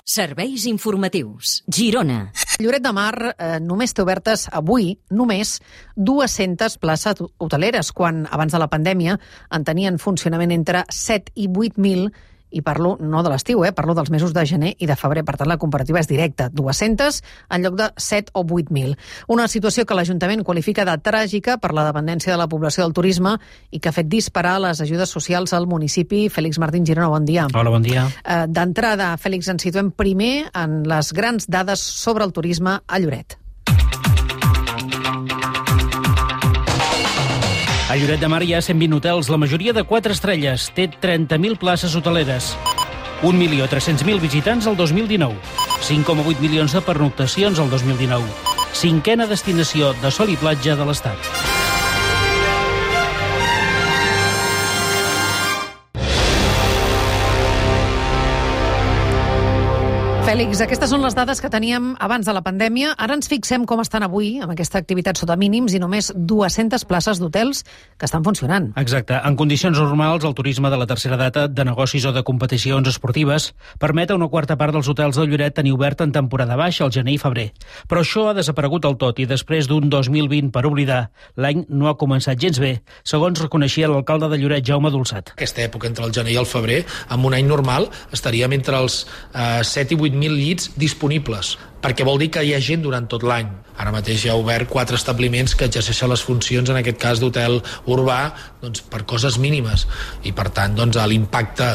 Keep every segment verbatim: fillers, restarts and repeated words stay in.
Serveis informatius. Girona. Lloret de Mar eh, només té obertes avui, només, dues-centes places hoteleres, quan abans de la pandèmia en tenien funcionament entre set i vuit mil, i parlo no de l'estiu, eh, parlo dels mesos de gener i de febrer, per tant la comparativa és directa, dues-centes en lloc de set o vuit mil. Una situació que l'Ajuntament qualifica de tràgica per la dependència de la població del turisme i que ha fet disparar les ajudes socials al municipi. Fèlix Martín Girona, bon dia. Hola, bon dia. Eh, D'entrada, Fèlix, ens situem primer en les grans dades sobre el turisme a Lloret. A Lloret de Mar hi ha cent vint hotels, la majoria de quatre estrelles. Té trenta mil places hoteleres. un milió tres-cents mil visitants el dos mil dinou. cinc coma vuit milions de pernoctacions el dos mil dinou. Cinquena destinació de sol i platja de l'Estat. Fèlix, aquestes són les dades que teníem abans de la pandèmia. Ara ens fixem com estan avui, amb aquesta activitat sota mínims i només dues-centes places d'hotels que estan funcionant. Exacte. En condicions normals, el turisme de la tercera data, de negocis o de competicions esportives, permet a una quarta part dels hotels de Lloret tenir obert en temporada baixa, al gener i febrer. Però això ha desaparegut del tot i després d'un dos mil vint per oblidar, l'any no ha començat gens bé, segons reconeixia l'alcalde de Lloret, Jaume Dolçat. Aquesta època, entre el gener i el febrer, en un any normal, estaríem entre els eh, set i vuit mil llits disponibles, perquè vol dir que hi ha gent durant tot l'any. Ara mateix hi ha obert quatre establiments que exerceixen les funcions, en aquest cas d'hotel urbà, doncs, per coses mínimes. I per tant, doncs, l'impacte,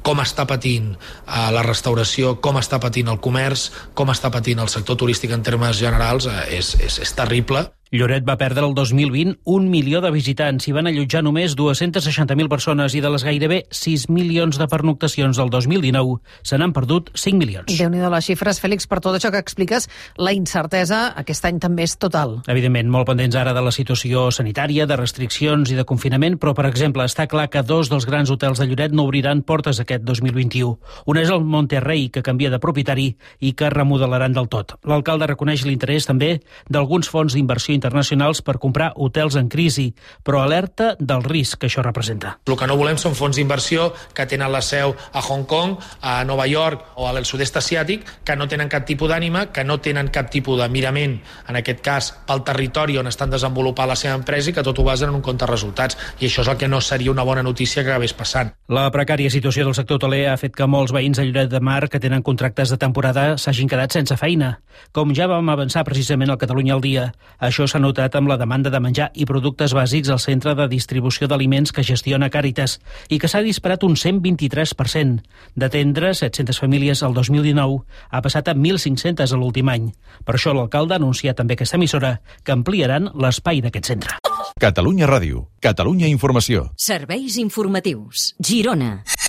com està patint eh, la restauració, com està patint el comerç, com està patint el sector turístic en termes generals, eh, és, és, és terrible. Lloret va perdre el dos mil vint un milió de visitants i van allotjar només dues-centes seixanta mil persones i de les gairebé sis milions de pernoctacions del dos mil dinou se n'han perdut cinc milions. Déu-n'hi-do les xifres, Fèlix, per tot això que expliques, la incertesa aquest any també és total. Evidentment, molt pendents ara de la situació sanitària, de restriccions i de confinament, però, per exemple, està clar que dos dels grans hotels de Lloret no obriran portes aquest dos mil vint-i-u. Un és el Monterrey, que canvia de propietari i que remodelaran del tot. L'alcalde reconeix l'interès també d'alguns fons d'inversió internacionals per comprar hotels en crisi, però alerta del risc que això representa. El que no volem són fons d'inversió que tenen la seu a Hong Kong, a Nova York o al sud-est asiàtic, que no tenen cap tipus d'ànima, que no tenen cap tipus de mirament, en aquest cas, pel territori on estan desenvolupant la seva empresa i que tot ho basen en un compte de resultats. I això és el que no seria una bona notícia que acabés passant. La precària situació del sector hoteler ha fet que molts veïns a Lloret de Mar que tenen contractes de temporada s'hagin quedat sense feina. Com ja vam avançar precisament al Catalunya al dia, això s'ha notat amb la demanda de menjar i productes bàsics al centre de distribució d'aliments que gestiona Càritas i que s'ha disparat un cent vint-i-tres per cent. D'atendre set-centes famílies el dos mil dinou ha passat a mil cinc-centes a l'últim any. Per això l'alcalde ha anunciat també aquesta emissora que ampliaran l'espai d'aquest centre. Catalunya Ràdio, Catalunya Informació. Serveis informatius. Girona.